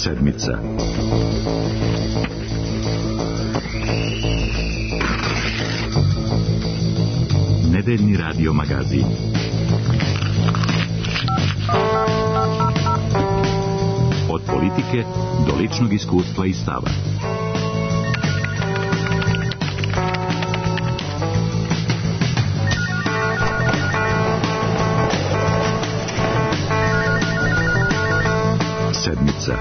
Sedmica. Nedeljni radio magazin. Od politike do ličnog iskustva i stava. Sedmica.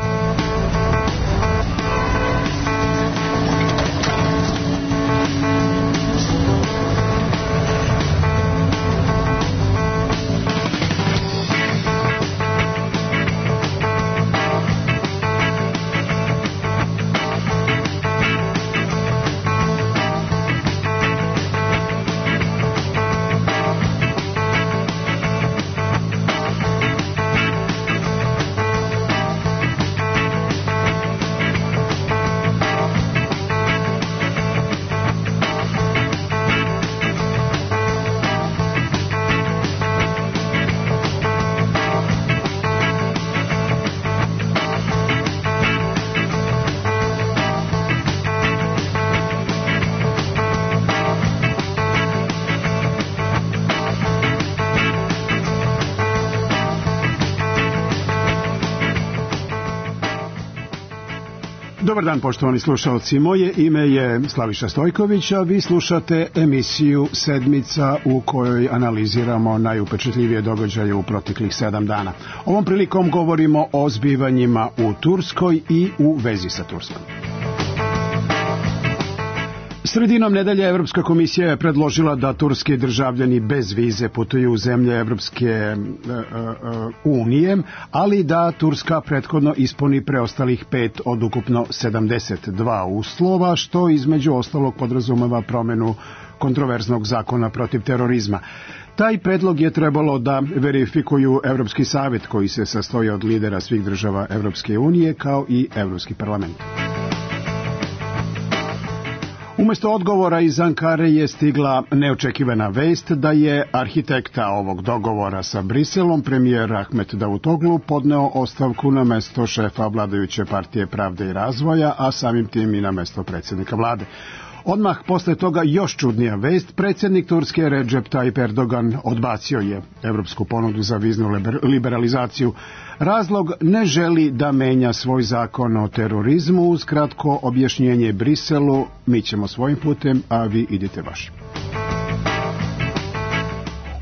Dobar dan, poštovani slušalci. Moje ime je Slaviša Stojković, a vi slušate emisiju Sedmica u kojoj analiziramo najupečatljivije događaje u proteklih 7 dana. Ovom prilikom govorimo o zbivanjima u Turskoj i u vezi sa Turskom. Sredinom nedelje Evropska komisija je predložila da turski državljani bez vize putuju u zemlje Evropske unije, ali da Turska prethodno ispuni preostalih 5 od ukupno 72 uslova, što između ostalog podrazumeva promenu kontroverznog zakona protiv terorizma. Taj predlog je trebalo da verifikuju Evropski savjet, koji se sastoji od lidera svih država Evropske unije, kao i Evropski parlament. Umesto odgovora iz Ankare je stigla neočekivana vest da je arhitekta ovog dogovora sa Briselom, premijer Ahmet Davutoglu, podneo ostavku na mesto šefa vladajuće partije Pravde i razvoja, a samim tim i na mesto predsjednika vlade. Odmah posle toga još čudnija vest, predsjednik Turske Recep Tayyip Erdogan odbacio je evropsku ponudu za viznu liberalizaciju. Razlog: ne želi da menja svoj zakon o terorizmu, uz kratko objašnjenje Briselu: mi ćemo svojim putem, a vi idite vašim.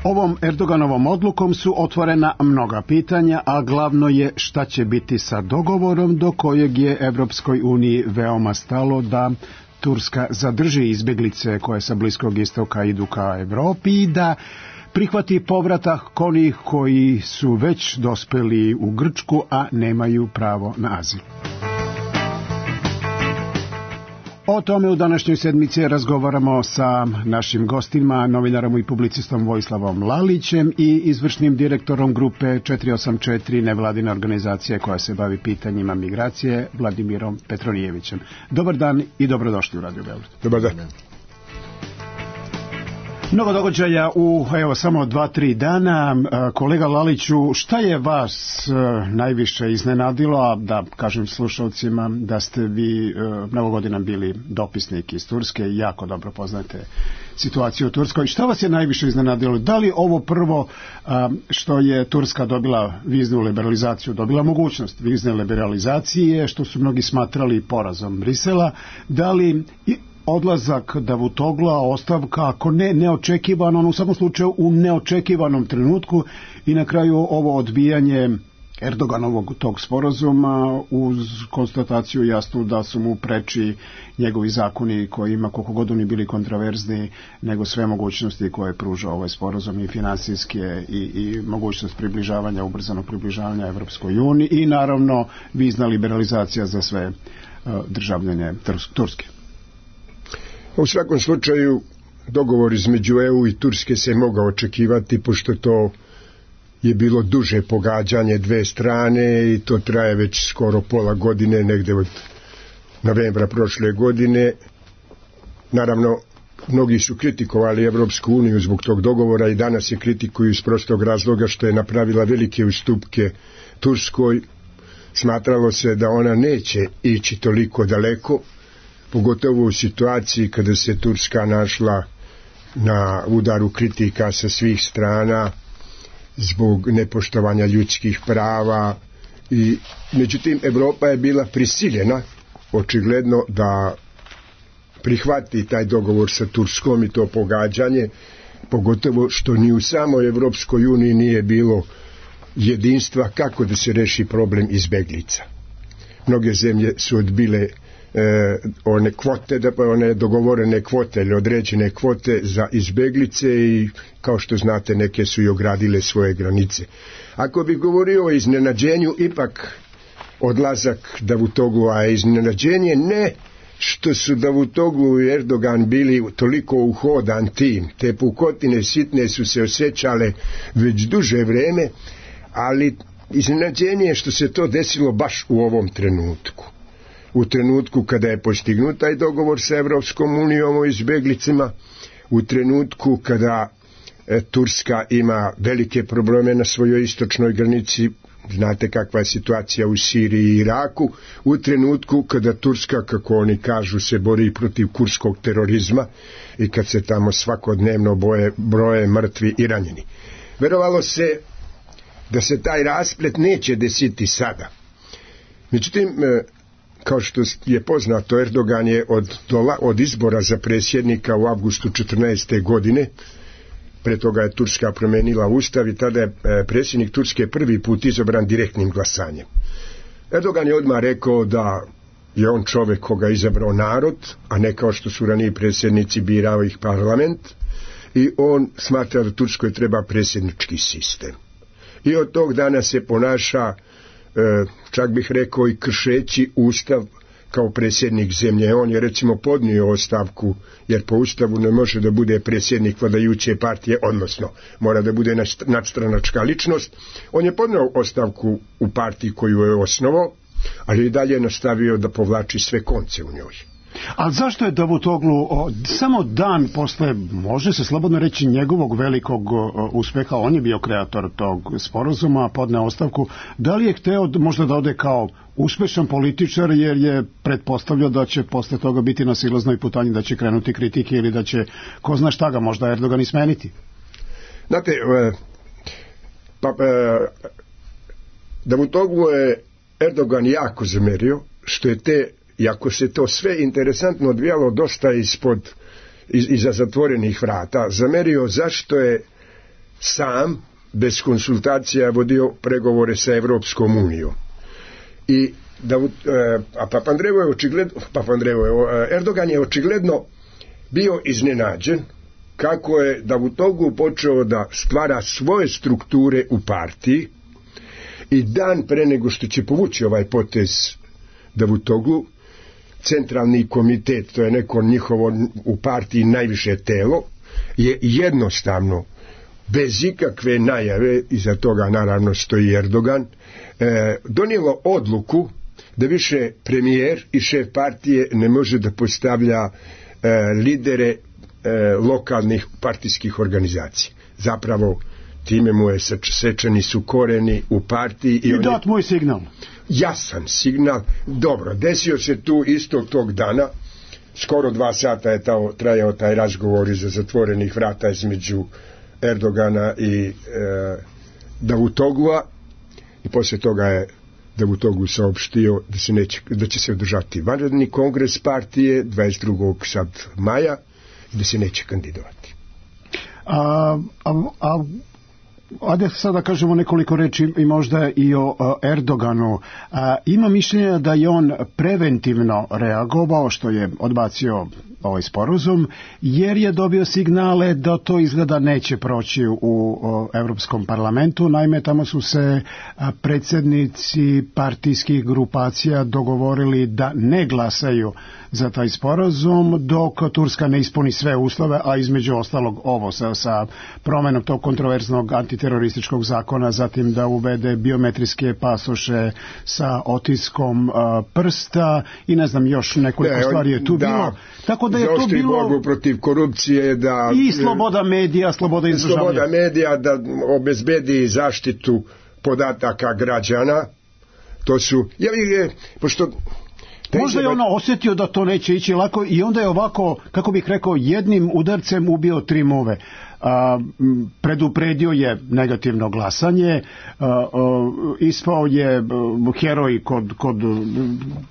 Ovom Erdoganovom odlukom su otvorena mnoga pitanja, a glavno je šta će biti sa dogovorom do kojeg je Evropskoj uniji veoma stalo da Turska zadrži izbjeglice koje sa Bliskog istoka idu ka Evropi i da prihvati povratak onih koji su već dospeli u Grčku, a nemaju pravo na azil. O tome u današnjoj sedmici razgovaramo sa našim gostima, novinarom i publicistom Vojislavom Lalićem i izvršnim direktorom grupe 484 nevladine organizacije koja se bavi pitanjima migracije, Vladimirom Petronijevićem. Dobar dan i dobrodošli u Radio Beograd. Dobar dan. Mnogo događaja u samo 2-3 dana. Kolega Laliću, šta je vas najviše iznenadilo, a da kažem slušalcima da ste vi mnogo godina bili dopisnik iz Turske i jako dobro poznate situaciju u Turskoj. Šta vas je najviše iznenadilo? Da li ovo prvo što je Turska dobila viznu liberalizaciju, dobila mogućnost vizne liberalizacije, što su mnogi smatrali porazom Brisela, da li odlazak Davutogla, ostavka, ako ne neočekivano, u svakom slučaju u neočekivanom trenutku, i na kraju ovo odbijanje Erdoganovog tog sporazuma uz konstataciju jasnu da su mu preči njegovi zakoni koji ima, koliko god oni bili kontraverzni, nego sve mogućnosti koje pruža ovaj sporazum, i finansijske i mogućnost približavanja, ubrzanog približavanja Evropskoj uniji i naravno vizna liberalizacija za sve državljane Turske. U svakom slučaju dogovor između EU i Turske se mogao očekivati, pošto to je bilo duže pogađanje dve strane i to traje već skoro pola godine, negde od novembra prošle godine. Naravno, mnogi su kritikovali Evropsku uniju zbog tog dogovora i danas je kritikuju iz prostog razloga što je napravila velike ustupke Turskoj, Smatralo se da ona neće ići toliko daleko, pogotovo u situaciji kada se Turska našla na udaru kritika sa svih strana zbog nepoštovanja ljudskih prava. I međutim, Evropa je bila prisiljena očigledno da prihvati taj dogovor sa Turskom i to pogađanje, pogotovo što ni u samoj Evropskoj uniji nije bilo jedinstva kako da se reši problem izbeglica. Mnoge zemlje su odbile one kvote, one dogovorene kvote ili određene kvote za izbeglice i kao što znate neke su i ogradile svoje granice. Ako bih govorio o iznenađenju, ipak odlazak Davutoglua je iznenađenje, ne što su Davutoglu i Erdogan bili toliko uhodan tim, te pukotine sitne su se osjećale već duže vreme, ali iznenađenje je što se to desilo baš u ovom trenutku. U trenutku kada je postignut taj dogovor sa Evropskom unijom o izbeglicama, u trenutku kada Turska ima velike probleme na svojoj istočnoj granici, znate kakva je situacija u Siriji i Iraku, u trenutku kada Turska, kako oni kažu, se bori protiv kurskog terorizma i kad se tamo svakodnevno broje mrtvi i ranjeni. Verovalo se da se taj rasplet neće desiti sada. Međutim, kao što je poznato, Erdogan je od izbora za predsjednika u avgustu 14. godine, pre toga je Turska promenila ustav i tada je predsjednik Turske prvi put izabran direktnim glasanjem. Erdogan je odmah rekao da je on čovjek koga je izabrao narod, a ne kao što su raniji predsjednici birao ih parlament, i on smatra da Turskoj treba predsjednički sistem. I od tog dana se ponaša, čak bih rekao i kršeći ustav, kao predsjednik zemlje. On je recimo podnio ostavku, jer po ustavu ne može da bude predsjednik vladajuće partije, odnosno mora da bude nadstranačka ličnost. On je podnio ostavku u partiji koju je osnovao, ali i dalje nastavio da povlači sve konce u njoj. Ali zašto je Davutoglu samo dan posle, može se slobodno reći, njegovog velikog uspeha, on je bio kreator tog sporazuma, podneo ostavku, da li je hteo možda da ode kao uspešan političar, jer je pretpostavljao da će posle toga biti na silaznoj putanji, da će krenuti kritike ili da će, ko zna šta ga, možda Erdogan i smeniti? Znate, Davutoglu je Erdogan jako zamerio što je iako se to sve interesantno odvijalo dosta iza zatvorenih vrata, zamerio zašto je sam, bez konsultacija, vodio pregovore sa Evropskom unijom. I Erdogan je očigledno bio iznenađen kako je Davutoglu počeo da stvara svoje strukture u partiji i dan pre nego što će povući ovaj potez Davutoglu, centralni komitet, to je neko njihovo u partiji najviše telo, je jednostavno, bez ikakve najave, iza toga naravno stoji Erdogan, donijelo odluku da više premijer i šef partije ne može da postavlja lidere lokalnih partijskih organizacija. Zapravo time mu je sečeni su koreni u partiji i dat moj signal. Jasan signal. Dobro, desio se tu istog tog dana, skoro 2 sata je trajao taj razgovor iza zatvorenih vrata između Erdogana i Davutoglua, i poslije toga je Davutoglu saopštio da će se održati vanredni kongres partije 22. sad maja i da se neće kandidovati. Ajde sada kažemo nekoliko reči i možda i o Erdoganu. Ima mišljenja da je on preventivno reagovao što je odbacio ovaj sporazum, jer je dobio signale da to izgleda neće proći u Evropskom parlamentu. Naime, tamo su se predsjednici partijskih grupacija dogovorili da ne glasaju za taj sporazum dok Turska ne ispuni sve uslove, a između ostalog ovo sa promenom tog kontroverznog antiterorističkog zakona, zatim da uvede biometrijske pasoše sa otiskom prsta i ne znam, još nekoliko stvari je tu bilo. Tako da je to bilo borbu protiv korupcije, i sloboda medija, sloboda izražavanja. Sloboda medija da obezbedi zaštitu podataka građana, To su, pošto možda je ono osjetio da to neće ići lako i onda je ovako, kako bih rekao, jednim udarcem ubio 3 muve. Predupredio je negativno glasanje, ispao je heroj kod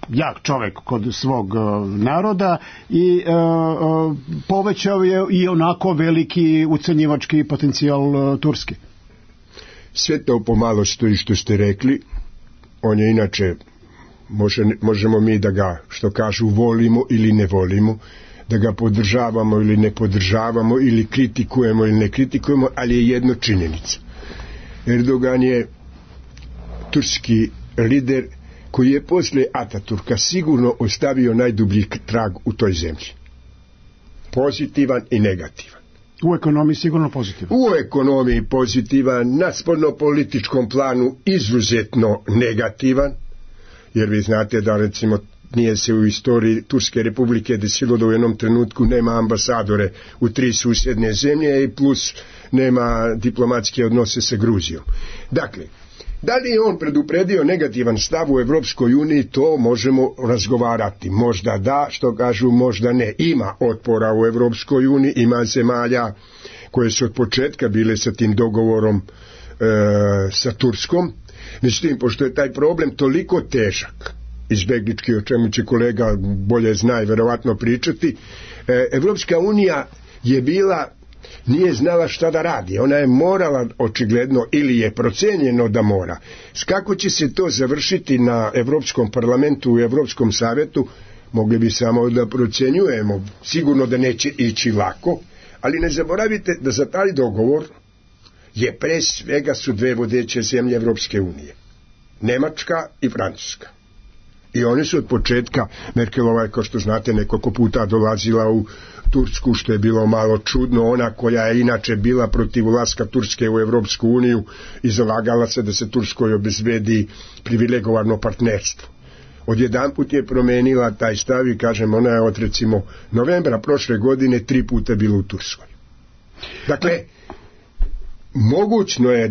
jak čovek kod svog naroda i povećao je i onako veliki ucenjivački potencijal Turske. Sve to pomalo stoji što ste rekli. On je inače, možemo mi da ga, što kažu, volimo ili ne volimo, da ga podržavamo ili ne podržavamo, ili kritikujemo ili ne kritikujemo, ali je jedno činjenica. Erdogan je turski lider koji je posle Ataturka sigurno ostavio najdublji trag u toj zemlji. Pozitivan i negativan. U ekonomiji sigurno pozitivan. U ekonomiji pozitivan, na spoljnopolitičkom planu izuzetno negativan, jer vi znate da, recimo, nije se u istoriji Turske republike desilo da u jednom trenutku nema ambasadore u 3 susjedne zemlje i plus nema diplomatske odnose sa Gruzijom. Dakle, da li je on predupredio negativan stav u Evropskoj uniji, to možemo razgovarati. Možda da, što kažu, možda ne. Ima otpora u Evropskoj uniji, ima zemalja koje su od početka bile sa tim dogovorom sa Turskom. Međutim, pošto je taj problem toliko težak, izbeglički, o čemu će kolega bolje zna i verovatno pričati, Evropska unija je nije znala šta da radi. Ona je morala, očigledno, ili je procenjeno da mora. Kako će se to završiti na Evropskom parlamentu, u Evropskom savjetu, mogli bi samo da procenjujemo. Sigurno da neće ići lako, ali ne zaboravite da za taj dogovor je pre svega su 2 vodeće zemlje Evropske unije. Nemačka i Francuska. I oni su od početka, Merkelova je, kao što znate, nekoliko puta dolazila u Tursku, što je bilo malo čudno, ona koja je inače bila protiv ulaska Turske u Evropsku uniju i zalagala se da se Turskoj obezbedi privilegovano partnerstvo. Odjedanput je promenila taj stav i, kažem, ona je od, recimo, novembra prošle godine 3 puta bila u Turskoj. Dakle, mogućno je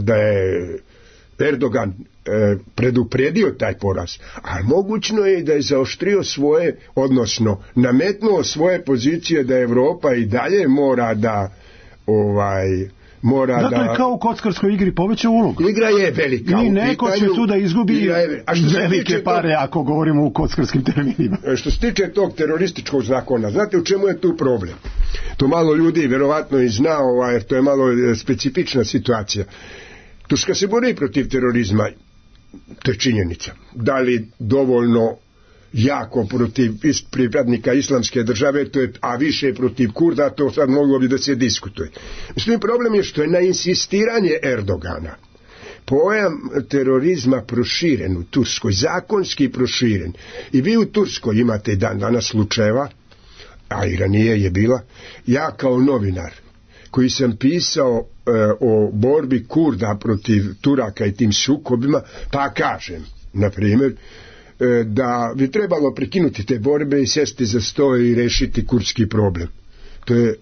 da je Erdogan predupredio taj poraz, a mogućno je i da je zaoštrio svoje, odnosno nametnuo svoje pozicije da Evropa i dalje mora da dakle, kao u kockarskoj igri poveća ulogu. Igra je velika. I neko će tu da izgubi velike pare, ako govorimo u kockarskim terminima. Što se tiče tog terorističkog zakona, znate u čemu je tu problem? To malo ljudi verovatno i zna, jer to je malo specifična situacija. Turska se bori protiv terorizma, to je činjenica. Da li dovoljno jako protiv pripadnika islamske države, a više protiv Kurda, to sad moglo bi da se diskutuje. Mislim, problem je što je na insistiranje Erdogana pojam terorizma proširen u Turskoj, zakonski proširen. I vi u Turskoj imate i dan danas slučajeva, a i ranije je bila, ja kao novinar koji sam pisao o borbi Kurda protiv Turaka i tim sukobima, pa kažem, na primjer, da bi trebalo prekinuti te borbe i sesti za sto i rešiti kurdski problem. To je,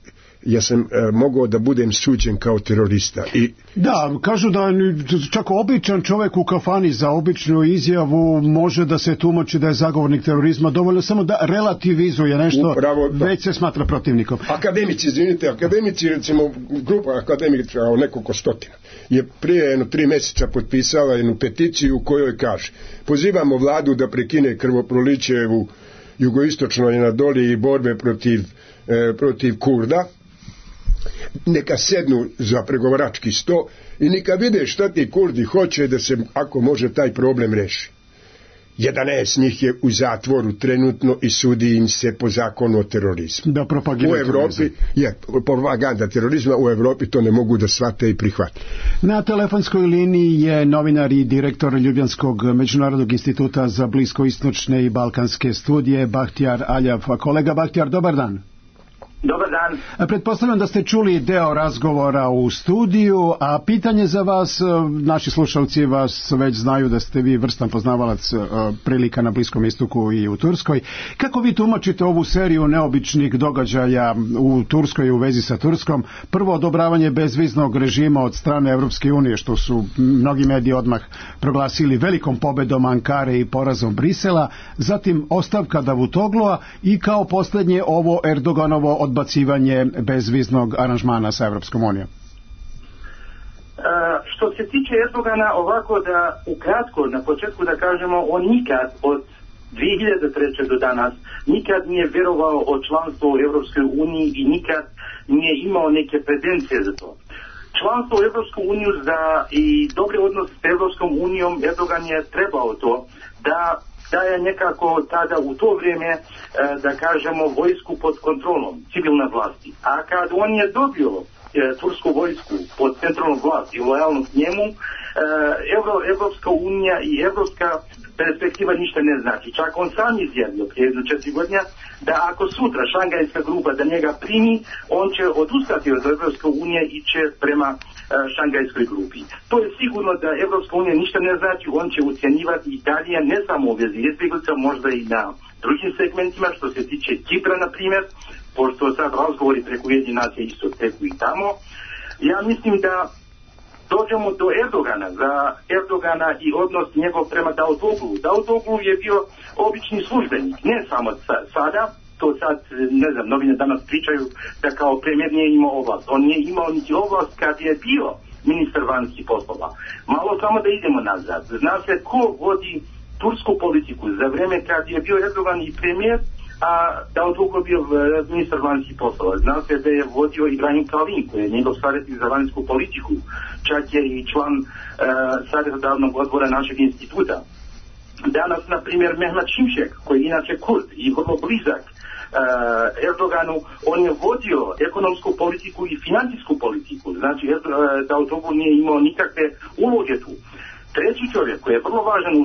ja sam mogao da budem suđen kao terorista. Da, kažu da čak običan čovjek u kafani za običnu izjavu može da se tumači da je zagovornik terorizma, dovoljno samo da relativizuje nešto, upravo, već se smatra protivnikom. Akademici, recimo grupa akademika o nekoliko stotina je prije 3 mjeseca potpisala jednu peticiju u kojoj kaže: pozivamo vladu da prekine krvoprolićevu jugoistočnoj Anadoliji i borbe protiv Kurda, neka sednu za pregovarački sto i neka vide šta ti Kurdi hoće da se, ako može, taj problem reši. 11 njih je u zatvoru trenutno i sudi im se po zakonu o terorizmu. Da propagiraju u Evropi je propaganda terorizma, u Evropi to ne mogu da shvate i prihvate. Na telefonskoj liniji je novinar i direktor Ljubljanskog međunarodnog instituta za bliskoistočne i balkanske studije Bahtjar Aljav. Kolega Bahtjar, dobar dan. Dobar dan. Pretpostavljam da ste čuli deo razgovora u studiju, a pitanje za vas, naši slušalci vas već znaju da ste vi vrstan poznavalac prilika na Bliskom istoku i u Turskoj. Kako vi tumačite ovu seriju neobičnih događaja u Turskoj i u vezi sa Turskom? Prvo, odobravanje bezviznog režima od strane Evropske unije, što su mnogi mediji odmah proglasili velikom pobedom Ankare i porazom Brisela, zatim ostavka Davutoglua i kao posljednje ovo Erdoganovo odbacivanje bezviznog aranžmana sa Evropskom unijom. Što se tiče Erdogana, ovako da ukratko na početku da kažemo, on nikad od 2003. do danas nikad nije vjerovao o članstvu u Evropskoj uniji i nikad nije imao neke pretencije za to. Članstvo u Evropsku uniju i dobre odnos s Evropskom unijom, Erdogan je trebao to da je nekako tada u to vrijeme, da kažemo, vojsku pod kontrolom civilne vlasti. A kad on je dobio tursku vojsku pod centralnom vlasti i lojalnost njemu, Evropska unija i evropska perspektiva ništa ne znači. Čak on sam izjavio prije 4 godine da ako sutra Šangajska grupa da njega primi, on će odustati od Evropske unije i će prema Šangajskoj grupi. To je sigurno da Evropska unija ništa ne znači, on će ucjenjivati i dalje, ne samo u vezi izbjeglica, možda i na drugim segmentima, što se tiče Kipra, na primjer, pošto sad razgovori preko Ujedinjenih nacija isto teku i tamo. Ja mislim da dođemo do Erdogana, za Erdogana i odnos njegov prema Davutoglu. Davutoglu je bio obični službenik, ne samo sada, to sad, ne znam, novine danas pričaju da kao premijer nije imao oblast. On nije imao niti oblast kad je bio ministar vanjskih poslova. Malo samo da idemo nazad. Zna se ko vodi tursku politiku za vrijeme kad je bio Erdogan i premijer, a Davutoglu bio ministar vanjskih poslova. Zna se da je vodio Ibrahim Kalin, koji je njegov savjetnik za vanjsku politiku. Čak je i član savjetodavnog odbora našeg instituta. Danas, na primjer, Mehmet Şimşek, koji je inače Kurd i vrlo blizak Erdoganu, on je vodio ekonomsku politiku i financijsku politiku. Znači, Davutoglu nije imao nikakve uloge tu. Treći čovjek koji je vrlo važan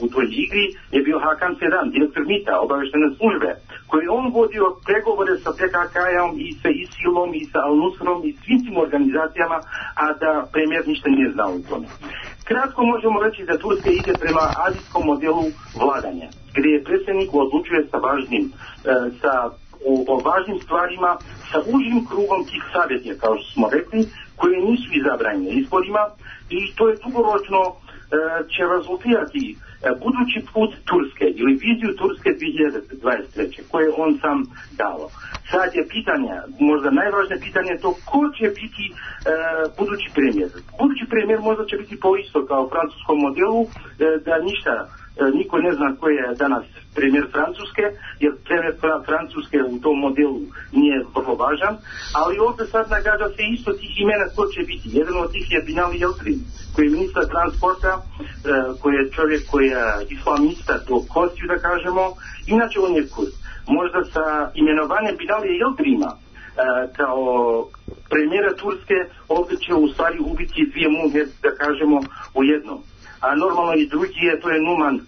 u toj igri je bio Hakan Fidan, direktor MIT-a, obavještajne službe, koji je on vodio pregovore sa PKK-om i sa ISIL-om i sa Al-Nusrom i svim tim organizacijama, a da premijer ništa nije znao u tome. Kratko možemo reći da Turska ide prema azijskom modelu vladanja, gdje je predsjednik odlučuje o važnim stvarima sa užim krugom tih savjetnika, kao što smo rekli, koji nisu izabrani na izborima, i to je dugoročno će rezultirati budući put Turske ili viziju Turske 2023. koje on sam dao. Sad je pitanje, možda najvažnije pitanje je to ko će biti budući premijer. Budući premijer možda će biti po isto kao francuskom modelu, da niko ne zna ko je danas premijer Francuske, jer premijer Francuske u tom modelu nije vrlo važan, ali ovdje sad nagađa se isto tih imena ko će biti. Jedan od tih je Binali Yildirim, koji je ministar transporta, koji je čovjek koji je islamista do kostiju, da kažemo, inače on je Kurd. Možda sa imenovanjem Binali Yildirima kao premijera Turske ovdje će u stvari ubiti dvije muhe, da kažemo, u jednom. A normalno i drugi je, to je Numan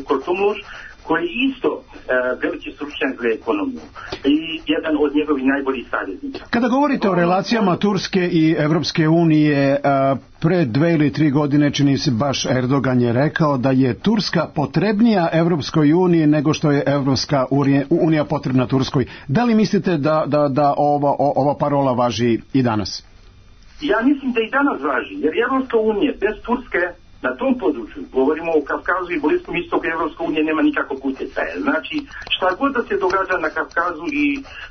Kurtulmuş, koji je isto veliki stručnjak za ekonomiju i jedan od njegovih najboljih savjetnika. Kada govorite o relacijama Turske i Evropske unije, pre 2 ili 3 godine, čini se, baš Erdogan je rekao da je Turska potrebnija Evropskoj uniji nego što je Evropska unija potrebna Turskoj. Da li mislite da ova parola važi i danas? Ja mislim da i danas važi, jer Evropska unija bez Turske na tom području, govorimo o Kavkazu i Bliskom istoku, Evropska unija nema nikakvog utjecaja. Znači, šta god da se događa na Kavkazu i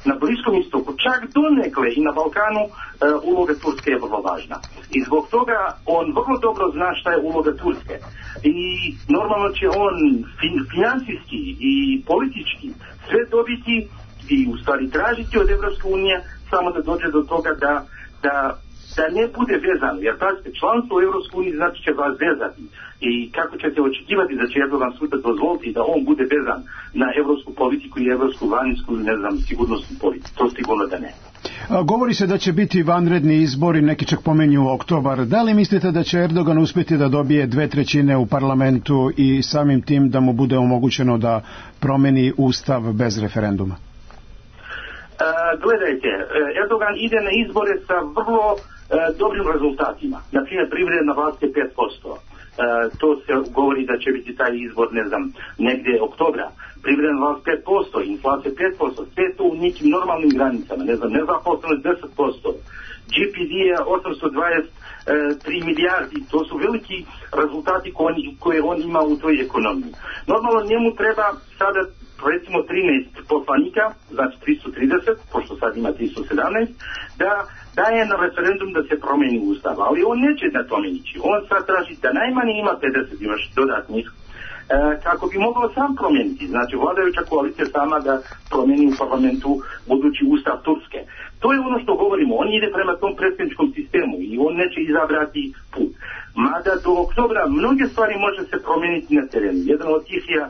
na Bliskom istoku, čak donekle i na Balkanu, uloga Turske je vrlo važna. I zbog toga on vrlo dobro zna šta je uloga Turske. I normalno će on financijski i politički sve dobiti i u stvari tražiti od Evropske unije, samo da dođe do toga da ne bude vezan, jer pazite, članstvo u Evropskoj uniji znači će vas vezati. I kako ćete očekivati da će Erdogan sutra dozvoliti da on bude vezan na evropsku politiku i evropsku vanjsku, ne znam, sigurnosnu politiku? To sigurno da ne. Govori se da će biti vanredni izbori, neki čak pomenju oktobar. Da li mislite da će Erdogan uspjeti da dobije 2/3 u parlamentu i samim tim da mu bude omogućeno da promeni ustav bez referenduma? Gledajte, Erdogan ide na izbore sa vrlo dobrim rezultatima. Naprimjer, privredna vlast je 5%. To se govori da će biti taj izbor, ne znam, negdje oktobra. Privredna vlast 5%, inflacija 5%, sve to u nekim normalnim granicama, ne znam, nezaposlenost 10%. GPD je 823 milijardi, to su veliki rezultati koje on ima u toj ekonomiji. Normalno njemu treba sada recimo 13 poslanika, znači 330, pošto sad ima 317, da daje na referendum da se promeni ustav, ali on neće na tome ići. On sad traži da najmanje ima 50 još dodatnih kako bi mogao sam promijeniti, znači vladajuća koalicija sama da promijeni u parlamentu budući ustav Turske. To je ono što govorimo, on ide prema tom predsjedničkom sistemu i on neće izabrati put. Mada do oktobra mnoge stvari može se promijeniti na terenu. Jedan od tih je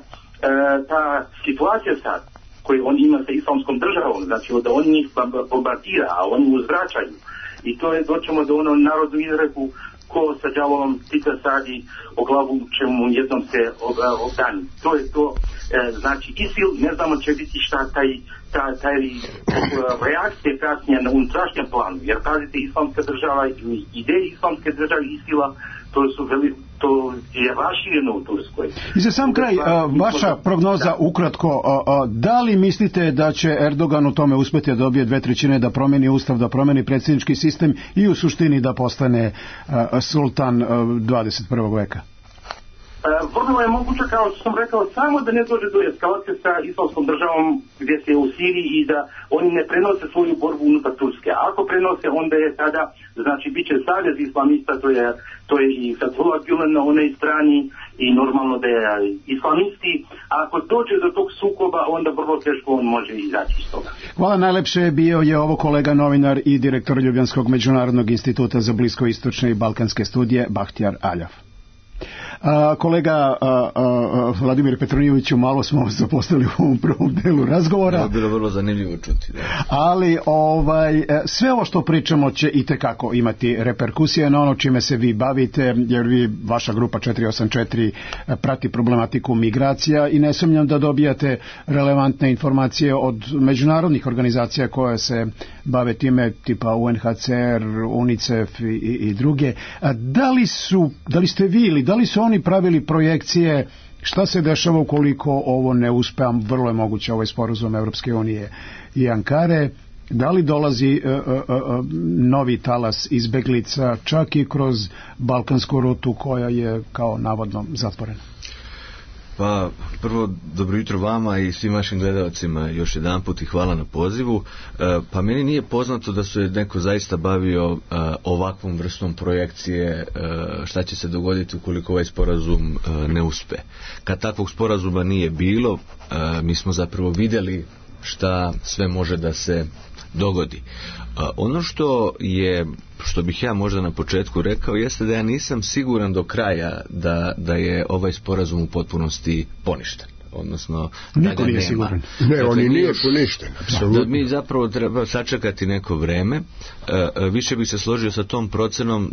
ta situacija sad koju on ima sa islamskom državom, znači da on njih bombardira, a oni uzvraćaju. I to je, doćemo do ono narodnu izreku ko sa đavolom pita sadi o glavu čemu jednom se obdani. To je to, znači ISIL, ne znamo će biti šta taj reakcije kasnije na unutrašnjem planu, jer pazite, islamska država i ideje islamske države ISIL-a, to je rašireno u Turskoj. I za sam kraj, vaša prognoza ukratko, da li mislite da će Erdogan u tome uspjeti da dobije 2/3 da promeni ustav, da promeni predsjednički sistem i u suštini da postane sultan 21. veka? Vrlo je moguće, kao što sam rekao, samo da ne dođe do eskalacije sa islamskom državom gdje se u Siriji i da oni ne prenose svoju borbu unutar Turske. A ako prenose, onda je tada, znači, bit će savez islamista, to je i Fethullah Gülen na onoj strani i normalno da je islamisti. A ako dođe do tog sukoba, onda vrlo teško on može izaći iz toga. Hvala najlepše, bio je ovo kolega novinar i direktor Ljubljanskog međunarodnog instituta za bliskoistočne i balkanske studije Bahtjar Aljav. Kolega Vladimir Petronijeviću, malo smo zaposlili u ovom prvom delu razgovora. To je bilo vrlo zanimljivo čuti. Da. Ali sve ovo što pričamo će itekako imati reperkusije na ono čime se vi bavite, jer vaša grupa 484 prati problematiku migracija i ne sumnjam da dobijate relevantne informacije od međunarodnih organizacija koje se bave time, tipa UNHCR, UNICEF i druge. Da li ste vi ili da li su oni pravili projekcije šta se dešava ukoliko ovo ne uspe, vrlo je moguće ovaj sporazum Evropske unije i Ankare, da li dolazi novi talas izbeglica čak i kroz balkansku rutu koja je kao navodno zatvorena? Pa prvo dobro jutro vama i svim vašim gledalcima još jedanput i hvala na pozivu. Pa meni nije poznato da se neko zaista bavio ovakvom vrstom projekcije šta će se dogoditi ukoliko ovaj sporazum ne uspe. Kad takvog sporazuma nije bilo, mi smo zapravo vidjeli šta sve može da se dogodi. Ono što bih ja možda na početku rekao jeste da ja nisam siguran do kraja da je ovaj sporazum u potpunosti poništen. Odnosno da ga nema. Ne, on nije poništen, apsolutno. Da mi zapravo treba sačekati neko vreme. Više bih se složio sa tom procenom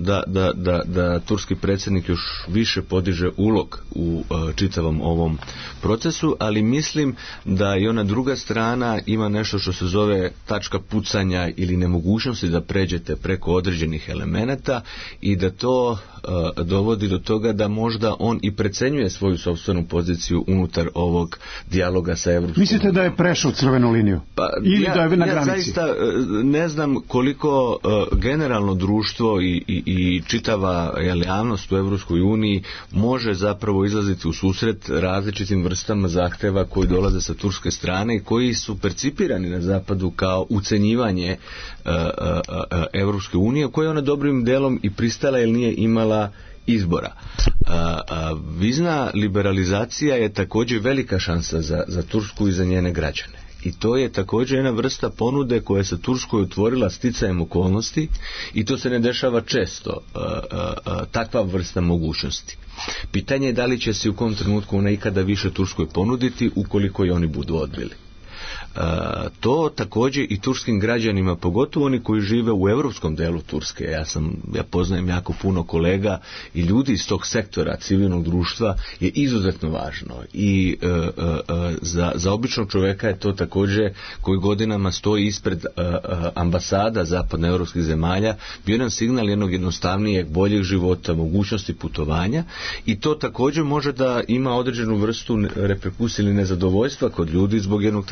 da turski predsjednik još više podiže ulog u čitavom ovom procesu, ali mislim da i ona druga strana ima nešto što se zove tačka pucanja ili nemogućnosti da pređete preko određenih elemenata i da to dovodi do toga da možda on i precenjuje svoju sopstvenu poziciju unutar ovog dijaloga sa Evropskom. Mislite da je prešao crvenu liniju? Ili da je na granici? Ja zaista ne znam koliko generalno društvo i čitava javnost u Evropskoj uniji može zapravo izlaziti u susret različitim vrstama zahteva koji dolaze sa turske strane i koji su percipirani na zapadu kao ucenjivanje Evropske unije, koja je ona dobrim delom i pristala jer nije imala izbora. Vizna liberalizacija je također velika šansa za Tursku i za njene građane. I to je također jedna vrsta ponude koja se Turskoj otvorila sticajem okolnosti i to se ne dešava često, takva vrsta mogućnosti. Pitanje je da li će se u kom trenutku ona ikada više Turskoj ponuditi ukoliko i oni budu odbili. To također i turskim građanima, pogotovo oni koji žive u europskom delu Turske. Ja poznajem jako puno kolega i ljudi iz tog sektora civilnog društva, je izuzetno važno i za običnog čovjeka je to također, koji godinama stoji ispred ambasada zapadnoevropskih zemalja, bio jedan signal jednog jednostavnijeg, boljeg života, mogućnosti putovanja, i to također može da ima određenu vrstu reperkusije ili nezadovoljstva kod ljudi zbog jednog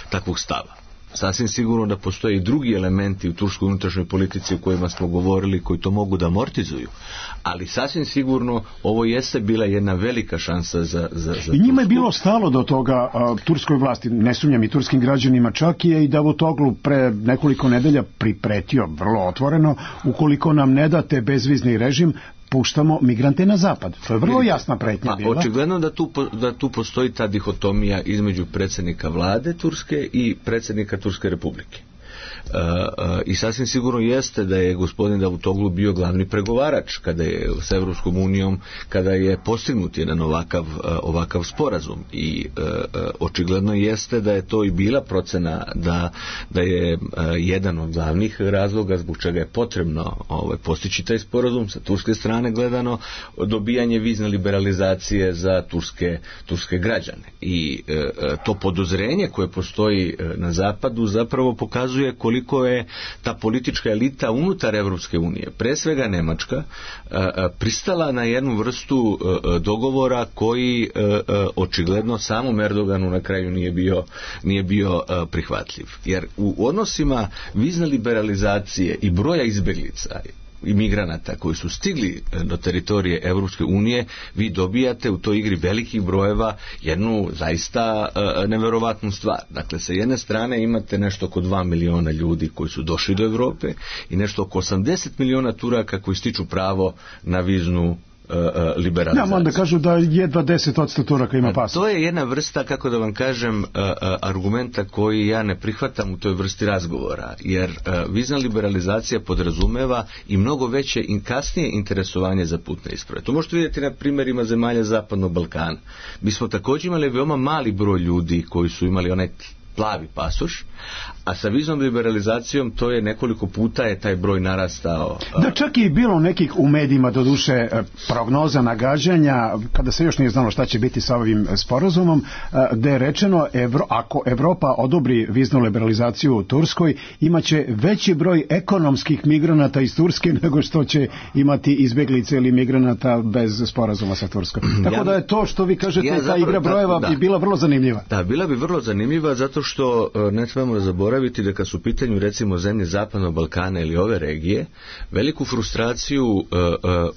takvog stava. Sasvim sigurno da postoje i drugi elementi u turskoj unutrašnjoj politici o kojima smo govorili, koji to mogu da amortizuju, ali sasvim sigurno ovo jeste bila jedna velika šansa za i njima je bilo stalo do toga, turskoj vlasti, ne sumnjam, i turskim građanima, čak je i Davutoglu pre nekoliko nedelja pripretio vrlo otvoreno: ukoliko nam ne date bezvizni režim, puštamo migrante na zapad. To je vrlo jasna pretnja bila. Očigledno da tu postoji ta dihotomija između predsjednika vlade Turske i predsjednika Turske republike. I sasvim sigurno jeste da je gospodin Davutoglu bio glavni pregovarač kada je s Evropskom unijom, kada je postignut jedan ovakav sporazum, i očigledno jeste da je to i bila procena da je jedan od glavnih razloga zbog čega je potrebno postići taj sporazum sa turske strane gledano, dobijanje vizne liberalizacije za turske građane, i to podozrenje koje postoji na zapadu zapravo pokazuje koliko je ta politička elita unutar Evropske unije, pre svega Nemačka, pristala na jednu vrstu dogovora koji očigledno samom Erdoganu na kraju nije bio prihvatljiv. Jer u odnosima vizne liberalizacije i broja izbjeglica i migranata koji su stigli do teritorije Evropske unije, vi dobijate u toj igri velikih brojeva jednu zaista neverovatnu stvar. Dakle, sa jedne strane imate nešto oko 2 miliona ljudi koji su došli do Europe i nešto oko 80 miliona Turaka koji stiču pravo na viznu liberalizaciju. Ja, onda kažu da jedva 10% Turaka ima pasoš. To je jedna vrsta, kako da vam kažem, argumenta koji ja ne prihvatam u toj vrsti razgovora, jer vizna liberalizacija podrazumeva i mnogo veće i kasnije interesovanje za putne isprave. To možete vidjeti na primjerima zemalja Zapadnog Balkana. Mi smo također imali veoma mali broj ljudi koji su imali onaj plavi pasoš, a sa viznom liberalizacijom to je nekoliko puta je taj broj narastao. Da, čak i bilo nekih u medijima, doduše, prognoza, nagađanja, kada se još nije znalo šta će biti sa ovim sporazumom, gde je rečeno ako Evropa odobri viznu liberalizaciju u Turskoj, imaće veći broj ekonomskih migranata iz Turske nego što će imati izbjeglice ili migranata bez sporazuma sa Turskom. Tako da je to što vi kažete, ta igra brojeva bi bila vrlo zanimljiva. Da, bila bi vrlo zanimljiva, zato što ne trebamo zaboraviti da kad su u pitanju recimo zemlje Zapadnog Balkana ili ove regije, veliku frustraciju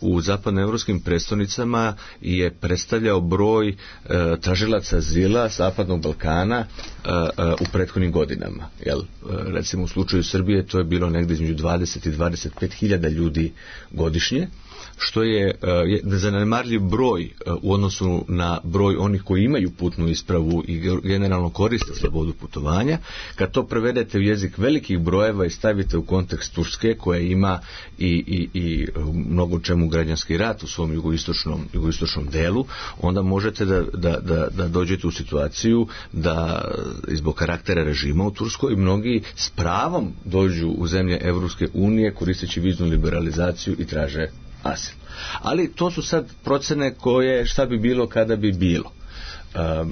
u zapadnoevropskim prestolnicama je predstavljao broj tražilaca azila Zapadnog Balkana u prethodnim godinama. Recimo u slučaju Srbije to je bilo negdje između 20 i 25 hiljada ljudi godišnje, što je zanemarljiv broj u odnosu na broj onih koji imaju putnu ispravu i generalno koriste slobodu putovanja. Kad to prevedete u jezik velikih brojeva i stavite u kontekst Turske, koja ima i mnogo čemu građanski rat u svom jugoistočnom delu, onda možete da dođete u situaciju da zbog karaktera režima u Turskoj mnogi s pravom dođu u zemlje Evropske unije koristeći viznu liberalizaciju i traže asil. Ali to su sad procene koje šta bi bilo kada bi bilo.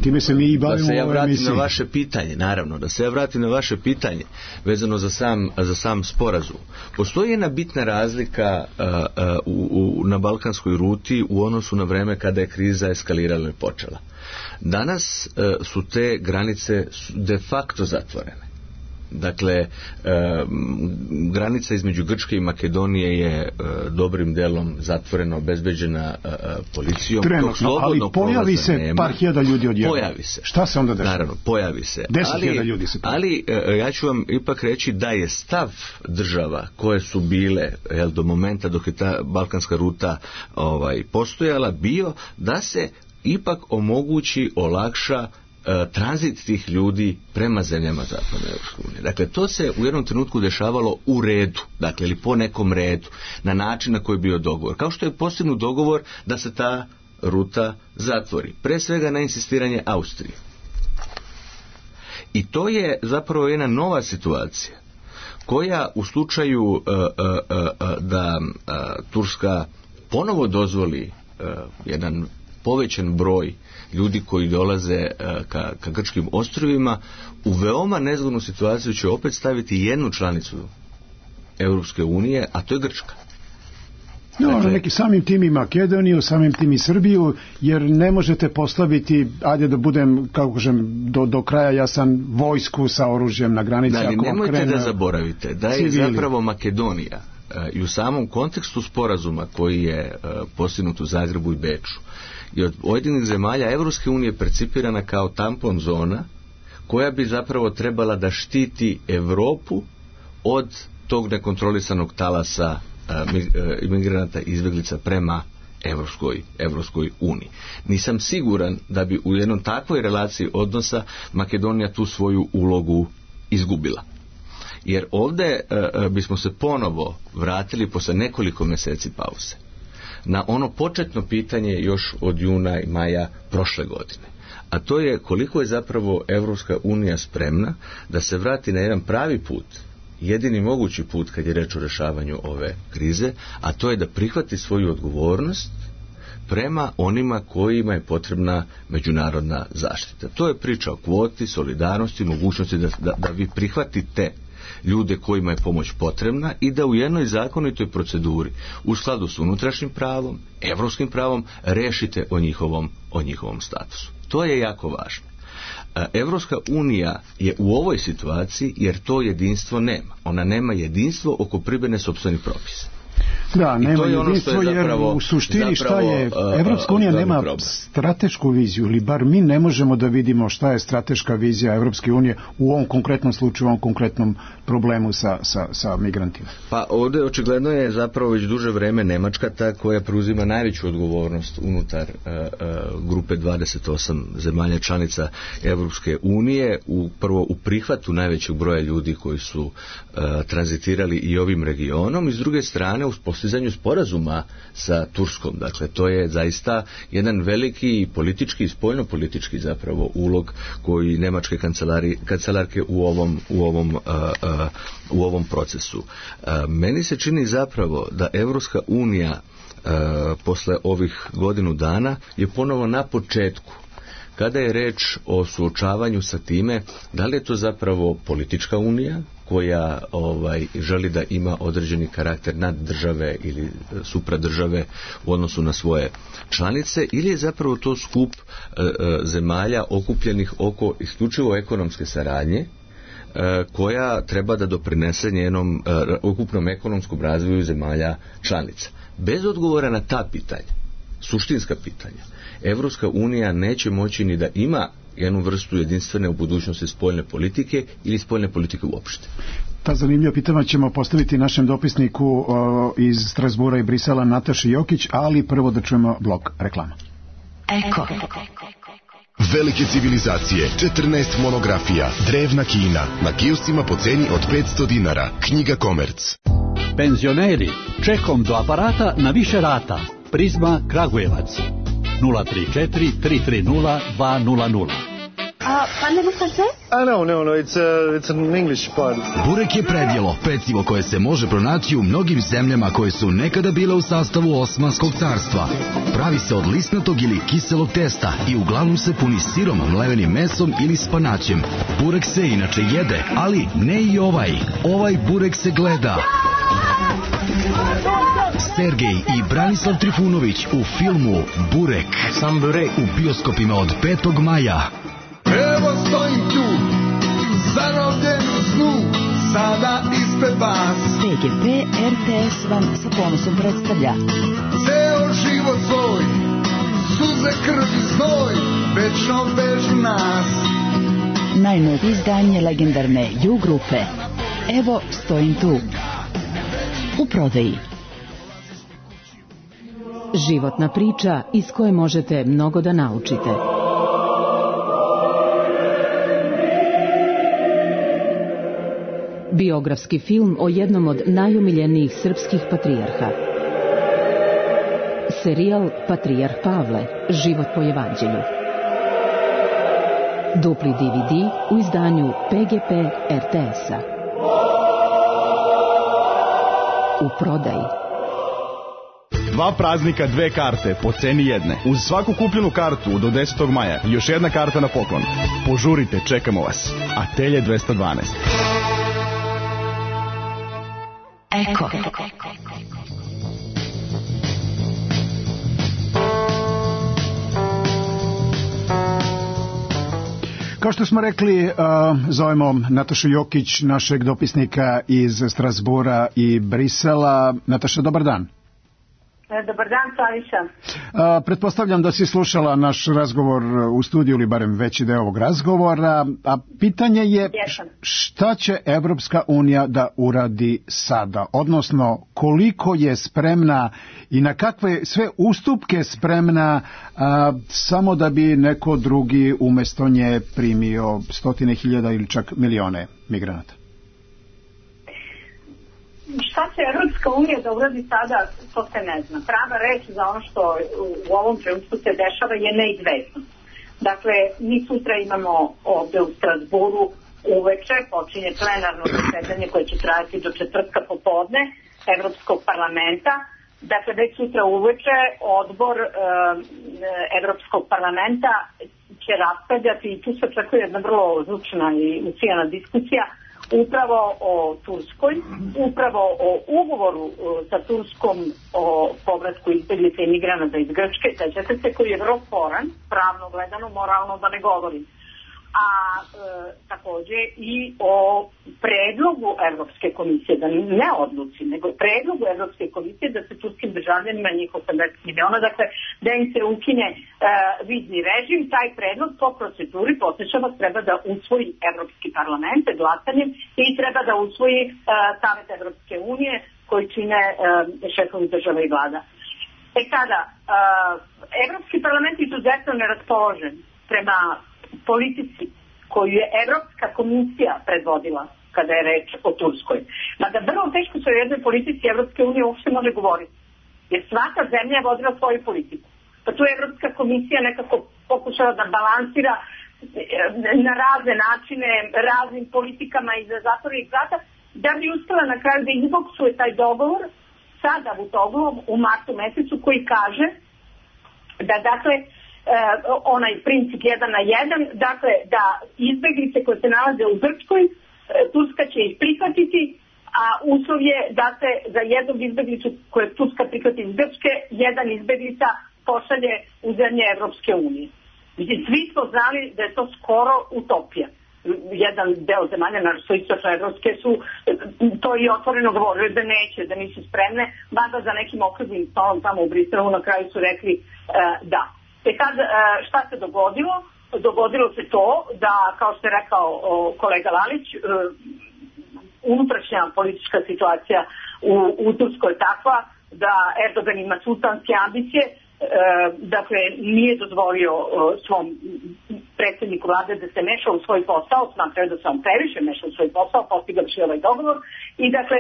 Time se mi i bavimo. Da se ja vratim na vaše pitanje, naravno, da se ja vratim na vaše pitanje vezano za sam sporazum. Postoji jedna bitna razlika na balkanskoj ruti u odnosu na vreme kada je kriza eskalirala i počela. Danas su te granice de facto zatvorene. Dakle, granica između Grčke i Makedonije je dobrim delom zatvorena, obezbeđena policijom. Trenutno, ali pojavi se par hiljada ljudi odjednom. Pojavi se. Šta se onda dešava? Naravno, pojavi se. 10.000 ljudi se pojavi. Ali ja ću vam ipak reći da je stav država koje su bile do momenta dok je ta balkanska ruta postojala bio da se ipak omogući, olakša tranzit tih ljudi prema zemljama Zapadne Evropske unije. Dakle, to se u jednom trenutku dešavalo u redu, dakle, ili po nekom redu, na način na koji je bio dogovor. Kao što je postignut dogovor da se ta ruta zatvori. Pre svega na insistiranje Austrije. I to je zapravo jedna nova situacija koja u slučaju da Turska ponovo dozvoli jedan povećan broj ljudi koji dolaze ka grčkim ostrvima, u veoma nezgodnu situaciju će opet staviti jednu članicu Europske unije, a to je Grčka. Dakle, neki samim tim i Makedoniju, samim tim i Srbiju, jer ne možete postaviti, ajde da budem, kako kažem, do kraja jasan, vojsku sa oružjem na granici. Da, nemojte da zaboravite da je zapravo Makedonija i u samom kontekstu sporazuma koji je postignut u Zagrebu i Beču i od pojedinih zemalja Evropske unije percipirana kao tampon zona koja bi zapravo trebala da štiti Evropu od tog nekontrolisanog talasa imigranata i izbjeglica prema Evropskoj uniji. Nisam siguran da bi u jednom takvoj relaciji odnosa Makedonija tu svoju ulogu izgubila. Jer ovdje bismo se ponovo vratili posle nekoliko mjeseci pauze na ono početno pitanje još od juna i maja prošle godine. A to je koliko je zapravo Evropska unija spremna da se vrati na jedan pravi put, jedini mogući put kad je reč o rješavanju ove krize, a to je da prihvati svoju odgovornost prema onima kojima je potrebna međunarodna zaštita. To je priča o kvoti, solidarnosti, mogućnosti da vi prihvatite ljude kojima je pomoć potrebna i da u jednoj zakonitoj proceduri u skladu s unutrašnjim pravom, evropskim pravom, rešite o njihovom statusu. To je jako važno. Evropska unija je u ovoj situaciji jer to jedinstvo nema. Ona nema jedinstvo oko primjene sopstvenih propisa. Da, nema jedinstvo jer u suštini šta je, Evropska unija nema stratešku viziju, ili bar mi ne možemo da vidimo šta je strateška vizija Evropske unije u ovom konkretnom slučaju, u ovom konkretnom problemu sa migrantima. Pa ovdje očigledno je zapravo već duže vreme Nemačka ta koja preuzima najveću odgovornost unutar grupe 28 zemalja članica Evropske unije, prvo u prihvatu najvećeg broja ljudi koji su tranzitirali i ovim regionom i s druge strane u postizanju sporazuma sa Turskom. Dakle, to je zaista jedan veliki politički i spoljnopolitički zapravo ulog koji nemačke kancelarke u ovom procesu. Meni se čini zapravo da Evropska unija posle ovih godinu dana je ponovo na početku kada je reč o suočavanju sa time da li je to zapravo politička unija koja želi da ima određeni karakter nad države ili supradržave u odnosu na svoje članice, ili je zapravo to skup zemalja okupljenih oko isključivo ekonomske saradnje koja treba da doprinese njenom ukupnom ekonomskom razvoju zemalja članica. Bez odgovora na ta pitanja, suštinska pitanja, Evropska unija neće moći ni da ima jednu vrstu jedinstvene u budućnosti spoljne politike ili spoljne politike uopšte. Ta zanimljiva pitanja ćemo postaviti našem dopisniku iz Strasbura i Brisela Nataši Jokić, ali prvo da čujemo blok reklama. Eko. Velike civilizacije, 14 monografija, drevna Kina, na kioscima po ceni od 500 dinara, knjiga Komerc. Penzioneri, čekom do aparata na više rata. Prizma Kragujevac 034 330 200. Parlez-vous français? No, it's an English part. Burek je predjelo, pecivo koje se može pronaći u mnogim zemljama koje su nekada bile u sastavu Osmanskog carstva. Pravi se od lisnatog ili kiselog testa i uglavnom se puni sirom, mlevenim mesom ili spanaćem. Burek se inače jede, ali ne i ovaj. Ovaj burek se gleda. Sergej i Branislav Trifunović u filmu Burek. Sam burek. U bioskopima od 5. maja. Evo stojim tu, zarobljen u snu, sada ispred vas. PGP RTS vam sa ponosom predstavlja Ceo život svoj, suze, krv i znoj, večno vežu nas. najnovije izdanje legendarne U grupe. Evo stojim tu. U prodaji. Životna priča iz koje možete mnogo da naučite. Biografski film o jednom od najomiljenijih srpskih patrijarha. Serijal Patrijarh Pavle, život po evanđelju. Dupli DVD u izdanju PGP RTS-a. U prodaji. 2 praznika, 2 karte po ceni jedne. Uz svaku kupljenu kartu do 10. maja još jedna karta na poklon. Požurite, čekamo vas. Atelje 212. Eko. Kao što smo rekli, zovemo Natašu Jokić, našeg dopisnika iz Strasbura i Brisela. Nataša, dobar dan. Dobar dan, Slaviša. Pretpostavljam da si slušala naš razgovor u studiju ili barem veći deo ovog razgovora, a pitanje je šta će Evropska unija da uradi sada, odnosno koliko je spremna i na kakve sve ustupke spremna samo da bi neko drugi umesto nje primio 100.000 ili čak milione migranata. Šta će Evropska unija da uradi sada, to se ne zna. Prava reč za ono što u ovom trenutku se dešava je neizvesno. Dakle, mi sutra imamo ovde u Strasburu uveče, počinje plenarno zasedanje koje će trajati do četvrtka popodne Evropskog parlamenta. Dakle, već sutra uveče odbor Evropskog parlamenta će raspravljati i tu se očekuje jedna vrlo zvučna i ucijena diskusija upravo o Turskoj, upravo o ugovoru sa Turskom o povratku izbjeglica i migranata iz Grčke, sećate se, koji je vrlo sporan, pravno gledano, moralno da ne govorim. A takođe i o predlogu Evropske komisije, da ne odluči, nego predlogu Evropske komisije da se turskim državljanima njih 80 miliona, dakle da im se ukine vizni režim. Taj predlog po proceduri, podsjećam vas, treba da usvoji Evropski parlament glasanjem i treba da usvoji Savet Evropske unije koji čine šefovi država i vlada. Sada, Evropski parlament je izuzetno neraspoložen prema politici koju je Evropska komisija predvodila kada je reč o Turskoj. Mada vrlo teško se o jednoj politici Evropske unije uopšte može govoriti. Jer svaka zemlja je vodila svoju politiku. Pa tu je Evropska komisija nekako pokušala da balansira na razne načine, raznim politikama iza zatvorenih vrata, da bi uspela na kraju da izboksuje taj dogovor sa Davutoglom u martu mesecu koji kaže da, dakle, onaj princip 1 na 1, dakle da izbeglice koje se nalaze u Grčkoj, Turska će ih prihvatiti, a uslov je da se za jednog izbeglicu koje Turska prihvati iz Grčke, jedan izbeglica pošalje u zemlje Evropske unije. Mislim, svi smo znali da je to skoro utopija. Jedan deo zemalja, naravno istočno evropske, su to i otvoreno govorili da neće, da nisu spremne, mada za nekim okruglim stolom tamo u Briselu na kraju su rekli da. Sad, šta se dogodilo? Dogodilo se to da, kao što je rekao kolega Lalić, unutrašnja politička situacija u Turskoj je takva da Erdogan ima sultanske ambicije, dakle nije dozvolio svom predsjedniku vlade da se meša u svoj posao, smatrao da se on previše meša u svoj posao, postigavši ovaj dogovor i dakle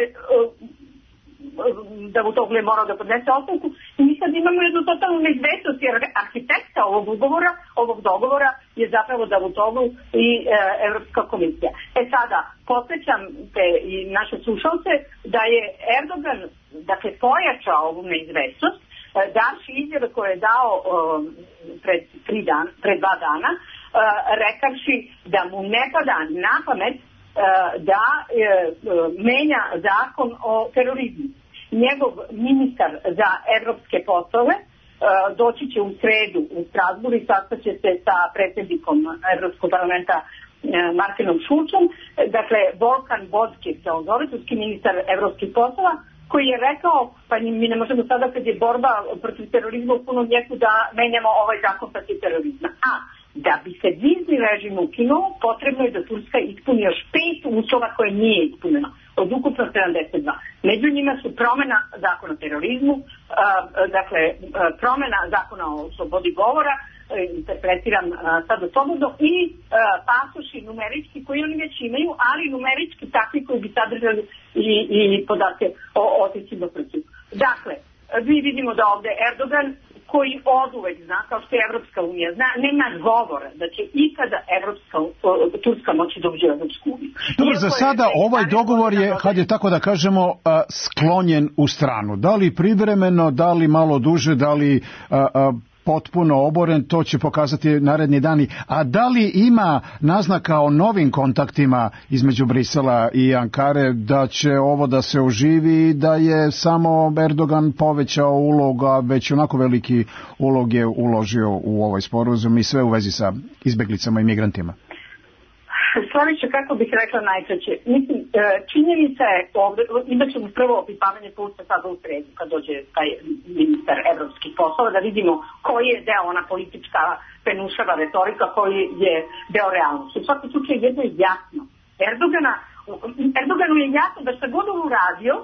Davutoglu je morao da podnese ostavku i mi sad imamo jednu totalnu neizvesnost jer arhitekta ovog dogovora je zapravo Davutoglu i Evropska komisija. Sada, podsjećam te i naše slušalce da je Erdogan dakle pojačao ovu neizvesnost davši izjave koje je dao pred 2 dana rekavši da mu ne pada na pamet da menja zakon o terorizmu. Njegov ministar za evropske poslove doći će u sredu u Strasburu i sastaće se sa predsjednikom Evropskog parlamenta Martinom Šulcom, dakle Volkan Bodkić se on zove, turski ministar evropskih poslova, koji je rekao, pa mi ne možemo sada kad je borba protiv terorizma u punom jeku da menjamo ovaj zakon protiv terorizma. A da bi se vizni režim ukinuo, potrebno je da Turska ispuni još 5 uslova koje nije ispunjeno, od ukupno 72. Među njima su promjena zakona o terorizmu, dakle promjena zakona o slobodi govora, interpretiram sad od slobodno, i pasoši numerički koji oni već imaju, ali numerički takvi koji bi sadržali i podatke o otićima protiv. Dakle, mi vidimo da ovde Erdogan koji oduvek zna, kao što je Evropska unija zna, nema govora da će ikada Turska moći da uđe u Evropsku uniju. Dobro, za sada ovaj dogovor je, kad je tako da kažemo, sklonjen u stranu. Da li privremeno, da li malo duže, da li potpuno oboren, to će pokazati naredni dani. A da li ima naznaka o novim kontaktima između Brisela i Ankare, da će ovo da se oživi, da je samo Erdogan povećao uloga, već onako veliki ulog je uložio u ovaj sporazum i sve u vezi sa izbeglicama i migrantima? Slavića, kako bih rekla najčešće, mislim, činjenica je ovdje, imat ćemo prvo opipavanje puta sada u sredu, kad dođe taj ministar evropskih poslova, da vidimo koji je deo ona politička penušava retorika, koji je deo realnosti. U svakom slučaju jedno je jasno. Erdoganu je jasno da šta god on uradio,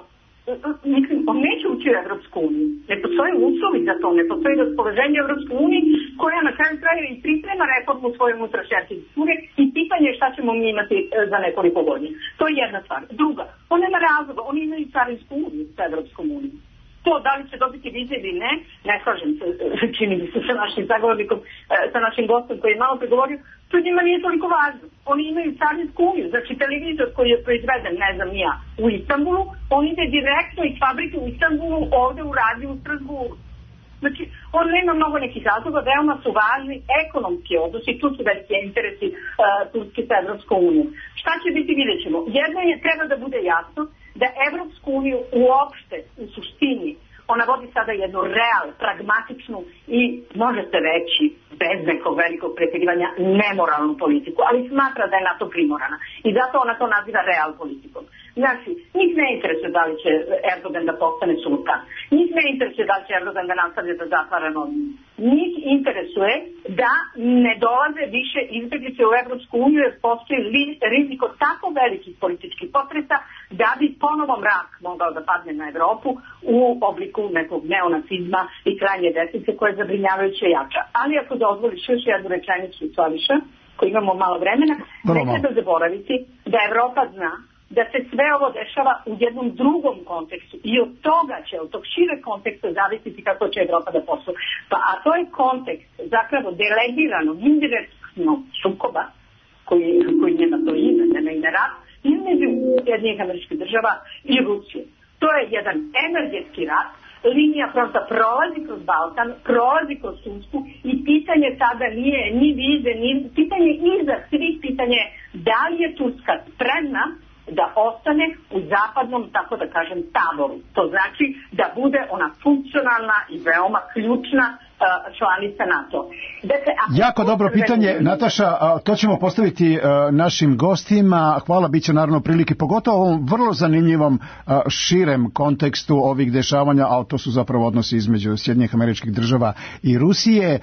mislim, on neće ući u Evropsku uniju. Ne postoje uslovi za to, ne postoji raspoloženje Evropske unije koja na kraju kraja i priprema reformu svoje unutrašnje arhitekture i pitanje je šta ćemo mi imati za nekoliko godina. To je jedna stvar. Druga, on nema razloga, oni imaju carinsku uniju sa Evropskom unijom. To da li će dobiti vize ili ne slažem se, čini mi se sa našim zagovornikom, sa našim gostom koji je malo pregovorio, to njima nije toliko važno. Oni imaju carinsku uniju, znači televizor koji je proizveden, ne znam ja, u Istanbulu, on ide direktno iz fabrike u Istanbulu, ovde u radiju u Strasburu. Znači, on nema mnogo nekih razloga, veoma su važni ekonomski odnosi, tu su veliki interesi Turske sa Evropskom unijom. Šta će biti, vidjet ćemo. Jedno je, treba da bude jasno, da Evropsku uniju uopšte, u suštini, ona vodi sada jednu pragmatičnu i, možete reći, bez nekog velikog preterivanja, nemoralnu politiku, ali smatra da je na to primorana. I zato ona to naziva real politikom. Znači, njih ne interesuje da li će Erdogan da postane sultan. Njih ne interesuje da li će Erdogan da nastavlja da zatvara novinu. Njih interesuje da ne dolaze više izbjeglice u Evropsku uniju jer postoji rizik od tako velikih političkih potresa da bi ponovo mrak mogao da padne na Evropu u obliku nekog neonacizma i krajnje desnice koje je zabrinjavajuće jača. Ali ako dozvoliš još jednu rečenicu, Slaviša, koji imamo malo vremena, ne treba zaboraviti da Evropa zna da se sve ovo dešava u jednom drugom kontekstu i od toga će, od tog šireg konteksta zavisiti kako će Evropa da posluje. A to je kontekst zapravo delegiranog, indirektnog sukoba koji nema to ime, nema ime rat, između Sjedinjenih Američkih Država i Rusije. To je jedan energetski rat, linija fronta prolazi kroz Balkan, prolazi kroz Tursku i pitanje sada nije ni vize, ni pitanje iza svih pitanje da li je Turska spremna da ostane u zapadnom, tako da kažem, taboru. To znači da bude ona funkcionalna i veoma ključna članica NATO. Dakle, jako dobro pitanje, Nataša, to ćemo postaviti našim gostima. Hvala, bit će naravno prilike, pogotovo u ovom vrlo zanimljivom širem kontekstu ovih dešavanja, a to su zapravo odnosi između Sjedinjenih Američkih Država i Rusije.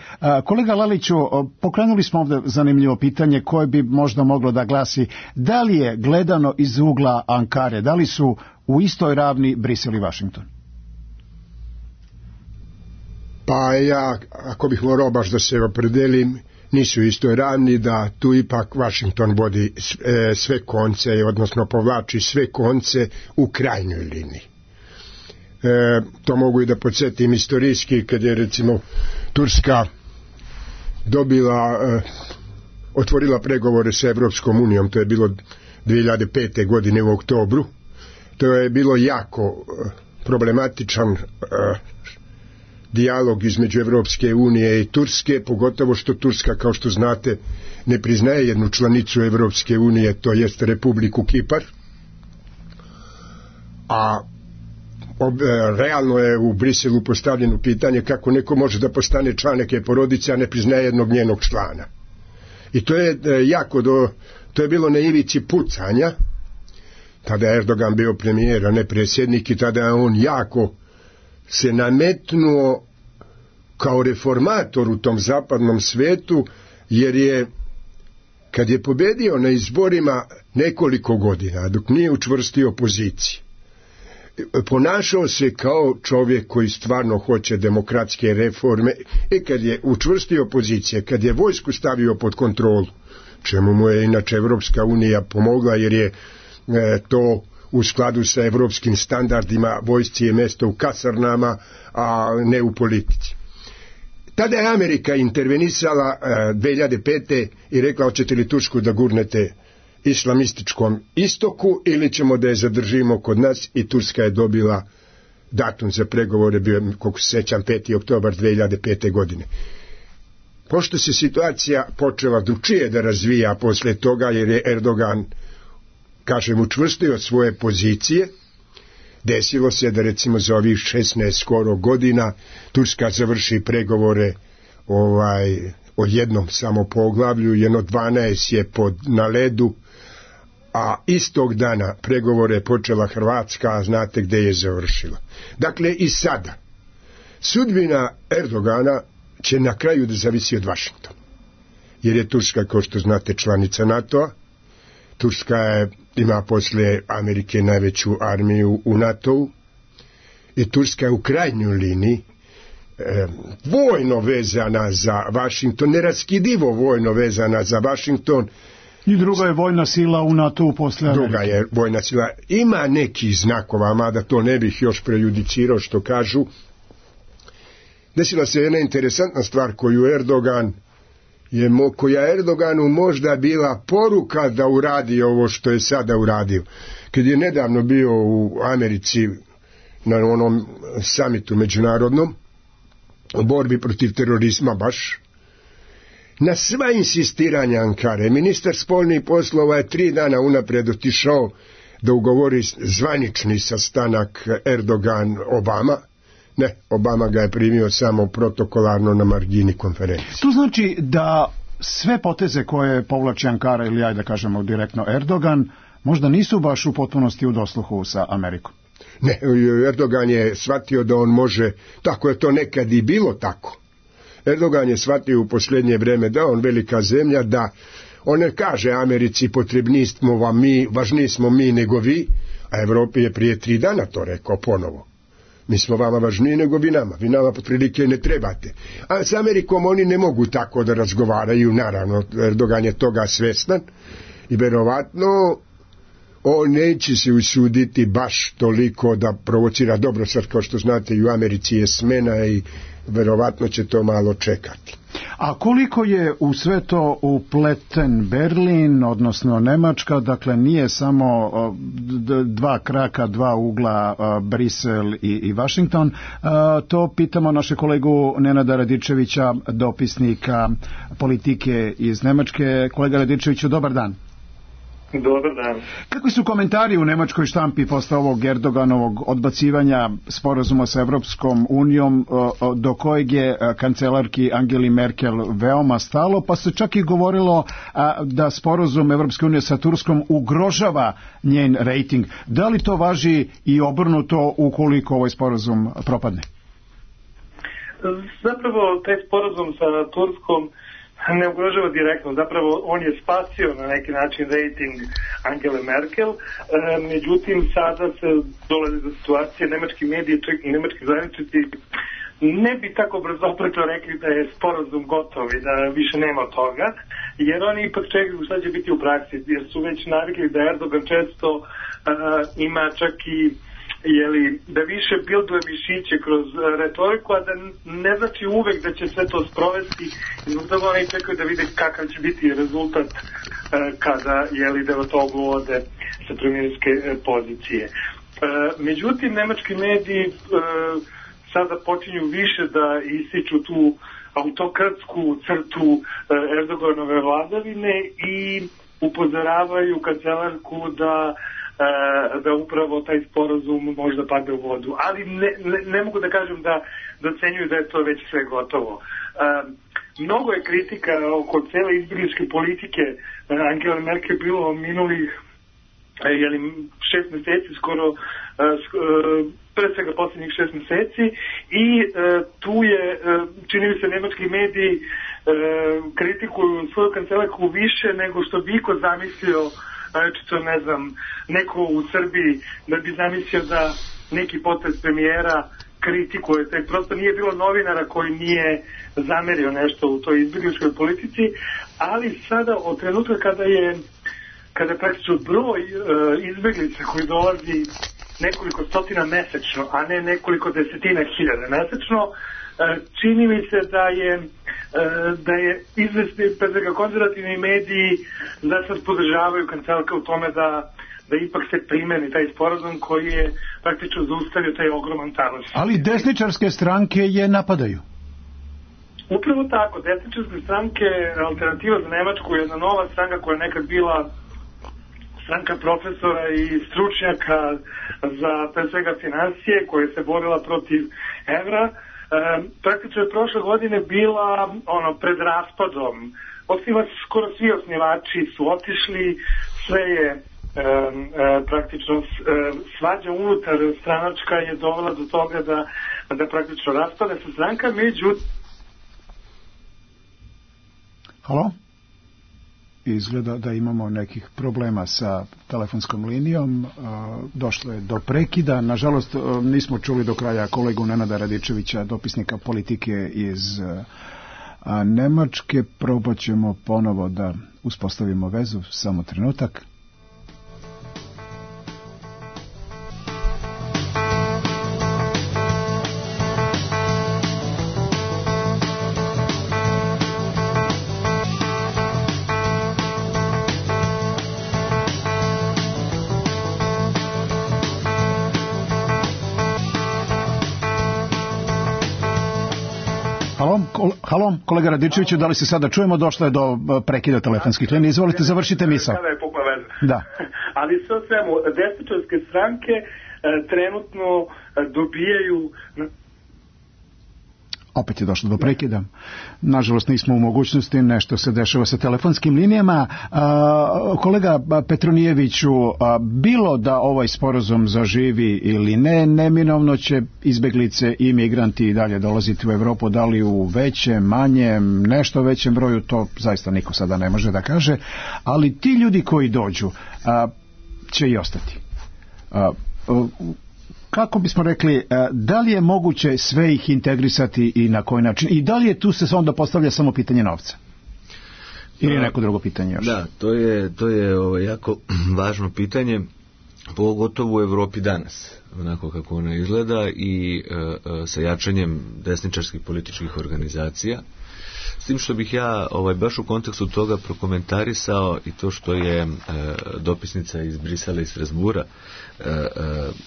Kolega Laliću, pokrenuli smo ovdje zanimljivo pitanje koje bi možda moglo da glasi: da li je gledano iz ugla Ankare, da li su u istoj ravni Brisel i Vašington? Pa ja, ako bih morao baš da se opredelim, nisu istoj ravni, da tu ipak Vašington vodi sve konce, odnosno povlači sve konce u krajnjoj liniji. To mogu i da podsjetim istorijski, kad je recimo Turska otvorila pregovore sa Evropskom unijom, to je bilo 2005. godine u oktobru. To je bilo jako problematičan dijalog između Evropske unije i Turske, pogotovo što Turska, kao što znate, ne priznaje jednu članicu Evropske unije, to jest Republiku Kipar, a realno je u Briselu postavljeno pitanje kako neko može da postane član neke porodice, a ne priznaje jednog njenog člana. I to je to je bilo na ivici pucanja. Tada je Erdogan bio premijer, a ne predsjednik, i tada je on jako se nametnuo kao reformator u tom zapadnom svetu, jer je, kad je pobedio na izborima nekoliko godina, dok nije učvrstio poziciju, ponašao se kao čovjek koji stvarno hoće demokratske reforme, i kad je učvrstio pozicije, kad je vojsku stavio pod kontrolu, čemu mu je inače Evropska unija pomogla, jer je to u skladu sa evropskim standardima, vojsci je mjesto u kasarnama, a ne u politici. Tada je Amerika intervenisala 2005. i rekla, hoćete li Tursku da gurnete islamističkom istoku ili ćemo da je zadržimo kod nas, i Turska je dobila datum za pregovore, bio, koliko se sećam, 5. oktobar 2005. godine. Pošto se situacija počela drugčije da razvija posle toga, jer je Erdogan, kažem, učvrstio svoje pozicije, desilo se da recimo za ovih 16 skoro godina Turska završi pregovore o jednom samo poglavlju, jedno 12 je na ledu, a istog dana pregovore je počela Hrvatska, a znate gde je završila. Dakle, i sada sudbina Erdogana će na kraju da zavisi od Vašingtona, jer je Turska, kao što znate, članica NATO-a. Turska ima posle Amerike najveću armiju u NATO-u i Turska je u krajnjoj liniji vojno vezana za Vašington, neraskidivo vojno vezana za Vašington. I druga je vojna sila u NATO-u posle Amerike. Druga je vojna sila. Ima nekih znakova, mada to ne bih još prejudicirao, što kažu. Desila se jedna interesantna stvar koja Erdoganu možda bila poruka da uradi ovo što je sada uradio. Kad je nedavno bio u Americi na onom samitu međunarodnom o borbi protiv terorizma, baš na sva insistiranja Ankare, ministar spoljnih poslova je 3 dana unapred otišao da ugovori zvanični sastanak Erdogan-Obama. Ne, Obama ga je primio samo protokolarno na margini konferencije. To znači da sve poteze koje povlači Ankara, ili ajde da kažemo direktno Erdogan, možda nisu baš u potpunosti u dosluhu sa Amerikom. Ne, Erdogan je shvatio da on može, tako je to nekad i bilo tako. Erdogan je shvatio u posljednje vreme da on velika zemlja, da on ne kaže Americi potrebni smo vam mi, važniji smo mi nego vi, a Evropi je prije 3 dana to rekao ponovo. Mi smo vama važniji nego vi nama potprilike ne trebate. A s Amerikom oni ne mogu tako da razgovaraju, naravno, Erdogan je toga svestan i verovatno on neće se usuditi baš toliko da provocira. Dobro, sad kao što znate i u Americi je smena i verovatno će to malo čekati. A koliko je u sve to upleten Berlin, odnosno Nemačka, dakle nije samo 2 kraka, 2 ugla, Brisel i Washington, to pitamo naše kolegu Nenada Radičevića, dopisnika politike iz Nemačke. Kolega Radičeviću, dobar dan. Dobar dan. Kakvi su komentari u nemačkoj štampi posle ovog Erdoganovog odbacivanja sporazuma sa Evropskom unijom, do kojeg je kancelarki Angeli Merkel veoma stalo, pa se čak i govorilo da sporazum Evropske unije sa Turskom ugrožava njen rejting. Da li to važi i obrnuto ukoliko ovaj sporazum propadne? Zapravo taj sporazum sa Turskom ne ugrožava direktno, zapravo on je spasio na neki način rating Angele Merkel, međutim sada se dolazi do situacije, nemački mediji i nemački zvaničnici ne bi tako brzo opretno rekli da je sporazum gotov i da više nema toga, jer oni ipak čekaju šta će biti u praksi, jer su već navikli da Erdogan često ima čak i da više bilduje mišiće kroz retoriku, a da ne znači uvek da će sve to sprovesti, i zbog toga oni čekaju da vide kakav će biti rezultat kada Davutoglu ode sa premijerske pozicije. Međutim, nemački mediji sada počinju više da ističu tu autokratsku crtu Erdoganove vladavine i upozoravaju kancelarku da upravo taj sporazum možda padne u vodu. Ali ne mogu da kažem da ocenjuju da je to već sve gotovo. Mnogo je kritika oko cele izbjegličke politike Angela Merkel bilo minulih 6 meseci, skoro pre svega posljednjih 6 meseci, i tu je, čini mi se, nemački mediji kritikuju svoju kancelarku više nego što bi iko zamislio, ne znam, neko u Srbiji da bi zamislio da neki potez premijera kritikuje. Prosto nije bilo novinara koji nije zamerio nešto u toj izbjegličkoj politici, ali sada od trenutka kada praktično broj izbjeglica koji dolazi nekoliko stotina mesečno, a ne nekoliko desetina hiljada mesečno, čini mi se da je izvesni, pre svega konzervativni mediji da sad podržavaju kancelarka u tome da ipak se primeni taj sporazum koji je praktično zaustavio taj ogroman talas. Ali desničarske stranke je napadaju. Upravo tako, desničarske stranke, Alternativa za Nemačku je jedna nova stranka koja je nekad bila stranka profesora i stručnjaka za pre svega financije koja se borila protiv evra. Praktično je prošle godine bila pred raspadom. Skoro svi osnivači su otišli, sve je praktično svađa unutar stranačka je dovela do toga da praktično raspade se stranka, međutim. Halo? Izgleda da imamo nekih problema sa telefonskom linijom. Došlo je do prekida. Nažalost, nismo čuli do kraja kolegu Nenada Radičevića, dopisnika politike iz Nemačke. Probat ćemo ponovo da uspostavimo vezu. Samo trenutak. Halo, kolega Radičeviću, da li se sada čujemo? Došlo je do prekida telefonskih linija. Izvolite, završite misao. Sada je pukla veza. Da. Ali sve o svemu, desničarske stranke trenutno dobijaju... Opet je došlo do prekida. Nažalost, nismo u mogućnosti, nešto se dešava sa telefonskim linijama. Kolega Petronijeviću, bilo da ovaj sporazum zaživi ili ne, neminovno će izbeglice i migranti i dalje dolaziti u Evropu, da li u većem, manjem, nešto većem broju, to zaista niko sada ne može da kaže, ali ti ljudi koji dođu će i ostati. Kako bismo rekli, da li je moguće sve ih integrisati i na koji način? I da li je tu se onda postavlja samo pitanje novca? Ili neko drugo pitanje još? Da, to je jako važno pitanje, pogotovo u Evropi danas, onako kako ona izgleda i sa jačanjem desničarskih političkih organizacija. S tim što bih ja baš u kontekstu toga prokomentarisao i to što je dopisnica iz Brisela i Strasbura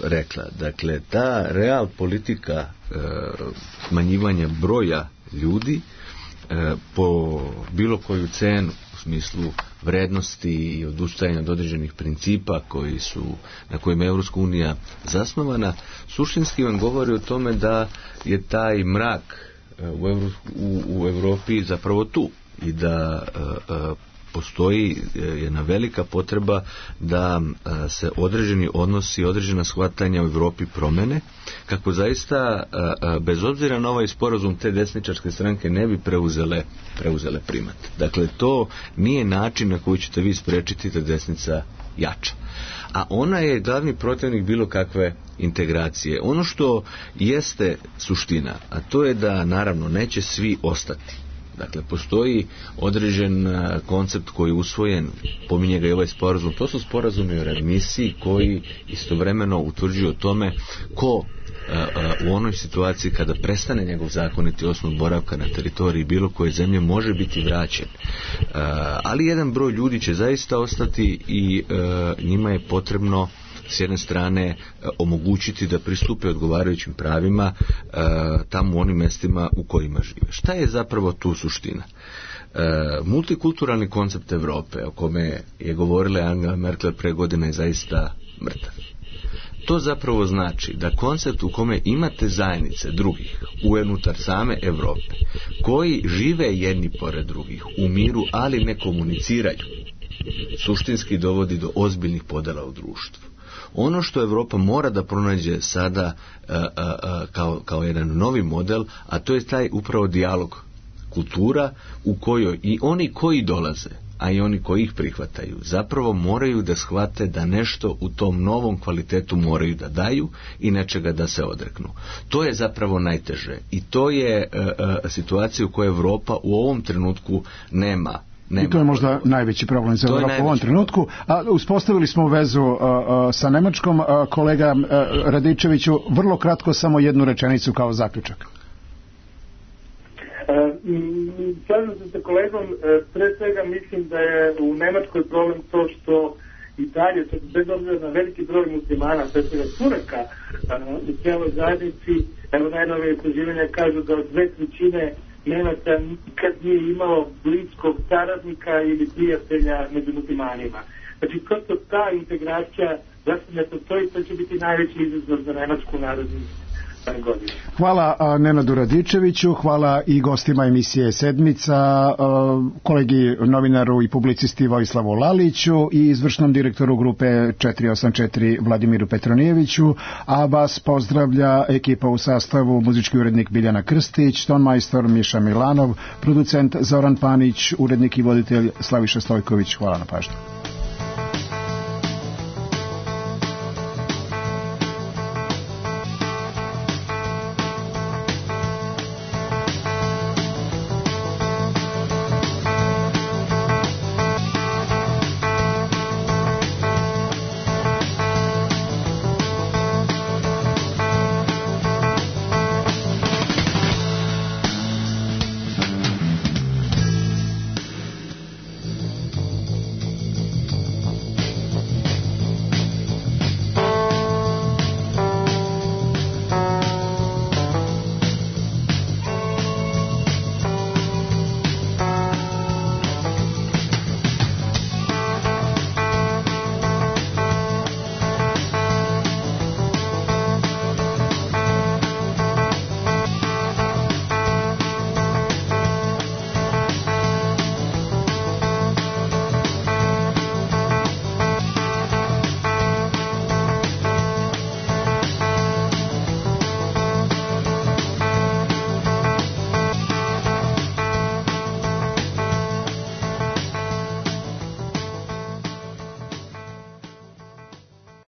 rekla. Dakle, ta real politika smanjivanja broja ljudi po bilo koju cenu u smislu vrednosti i odustajanja od određenih principa na kojima je Evropska unija zasnovana, suštinski vam govori o tome da je taj mrak u Evropi zapravo tu i da postoji jedna velika potreba da se određeni odnosi, određena shvatanja u Evropi promene, kako zaista bez obzira na ovaj sporazum te desničarske stranke ne bi preuzele primat. Dakle, to nije način na koji ćete vi sprečiti da desnica jača. A ona je glavni protivnik bilo kakve integracije. Ono što jeste suština, a to je da naravno neće svi ostati. Dakle, postoji određen koncept koji je usvojen, pominje ga i ovaj sporazum, to su sporazumi o readmisiji koji istovremeno utvrđuju o tome ko u onoj situaciji kada prestane njegov zakoniti osnov boravka na teritoriji bilo koje zemlje može biti vraćen. Ali jedan broj ljudi će zaista ostati i njima je potrebno s jedne strane omogućiti da pristupe odgovarajućim pravima tamo u onim mestima u kojima žive. Šta je zapravo tu suština? Multikulturalni koncept Evrope o kome je govorila Angela Merkel pre godine je zaista mrtav. To zapravo znači da koncept u kome imate zajednice drugih unutar same Evrope koji žive jedni pored drugih u miru, ali ne komuniciraju, suštinski dovodi do ozbiljnih podela u društvu. Ono što Evropa mora da pronađe sada kao jedan novi model, a to je taj upravo dijalog kultura u kojoj i oni koji dolaze, a i oni koji ih prihvataju, zapravo moraju da shvate da nešto u tom novom kvalitetu moraju da daju i nečega da se odreknu. To je zapravo najteže i to je situacija u kojoj Evropa u ovom trenutku nema. I to je možda najveći problem za Evropu u ovom trenutku. Uspostavili smo vezu sa Nemačkom. Kolega Radičeviću, vrlo kratko samo jednu rečenicu kao zaključak. Slažem se sa kolegom, pre svega mislim da je u Nemačkoj problem to što i dalje, bez obzira na veliki broj muslimana, pre svega Turaka, u cijeloj zajednici, evo najnove istraživanja kažu da od 2/3 Nemaca nikad nije imalo bliskog saradnika ili prijatelja među muslimanima. Znači, prosto ta integracija zašto ne postoji, to će biti najveći izazov za Nemačku narodnu godinu. Hvala Nenadu Radičeviću, hvala i gostima emisije Sedmica, kolegi novinaru i publicisti Vojislavu Laliću i izvršnom direktoru grupe 484 Vladimiru Petronijeviću, a vas pozdravlja ekipa u sastavu muzički urednik Biljana Krstić, tonmajstor Miša Milanov, producent Zoran Panić, urednik i voditelj Slaviša Stojković. Hvala na pažnju.